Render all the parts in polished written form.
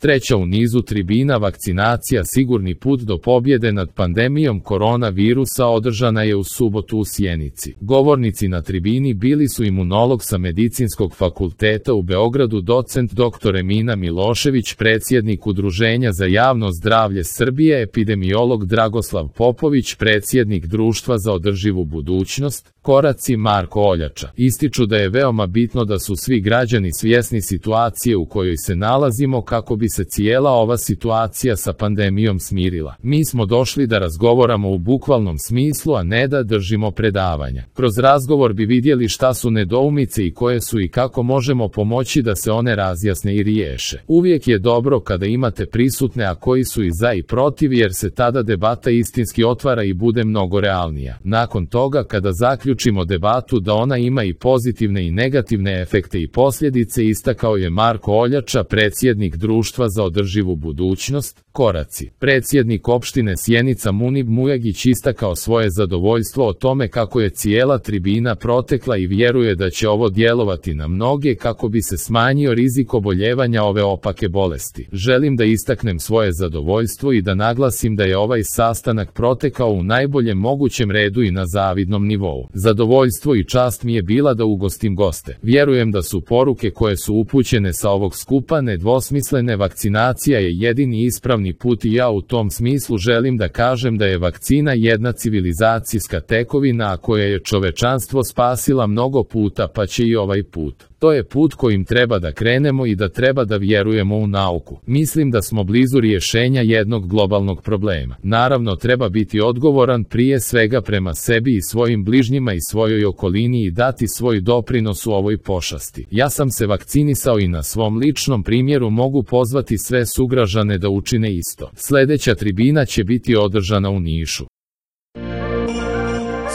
Treća u nizu tribina vakcinacija Sigurni put do pobjede nad pandemijom koronavirusa održana je u subotu u Sjenici. Govornici na tribini bili su imunolog sa Medicinskog fakulteta u Beogradu docent dr. Emina Milošević, predsjednik Udruženja za javno zdravlje Srbije, epidemiolog Dragoslav Popović, predsjednik Društva za održivu budućnost, Koraci Marko Oljača. Ističu da je veoma bitno da su svi građani svjesni situacije u kojoj se nalazimo kako bi se cijela ova situacija sa pandemijom smirila. Mi smo došli da razgovaramo u bukvalnom smislu, a ne da držimo predavanja. Kroz razgovor bi vidjeli šta su nedoumice i koje su i kako možemo pomoći da se one razjasne i riješe. Uvijek je dobro kada imate prisutne, a koji su i za i protiv, jer se tada debata istinski otvara i bude mnogo realnija. Nakon toga, kada zaključimo debatu da ona ima i pozitivne i negativne efekte i posljedice, istakao je Marko Oljača, predsjednik Društva za održivu budućnost, Koraci. Predsjednik opštine Sjenica Munib Mujagić istakao svoje zadovoljstvo o tome kako je cijela tribina protekla i vjeruje da će ovo djelovati na mnoge kako bi se smanjio rizik oboljevanja ove opake bolesti. Želim da istaknem svoje zadovoljstvo i da naglasim da je ovaj sastanak protekao u najboljem mogućem redu i na zavidnom nivou. Zadovoljstvo i čast mi je bila da ugostim goste. Vjerujem da su poruke koje su upućene sa ovog skupa nedvosmislene. Vakcinacija je jedini ispravni put i ja u tom smislu želim da kažem da je vakcina jedna civilizacijska tekovina, a koja je čovečanstvo spasila mnogo puta, pa će i ovaj put. To je put kojim treba da krenemo i da treba da vjerujemo u nauku. Mislim da smo blizu rješenja jednog globalnog problema. Naravno, treba biti odgovoran prije svega prema sebi i svojim bližnjima i svojoj okolini i dati svoj doprinos u ovoj pošasti. Ja sam se vakcinisao i na svom ličnom primjeru mogu pozvati sve sugrađane da učine isto. Sljedeća tribina će biti održana u Nišu.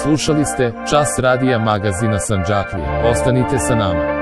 Slušali ste Čas radija magazina Sandžaklije. Ostanite sa nama.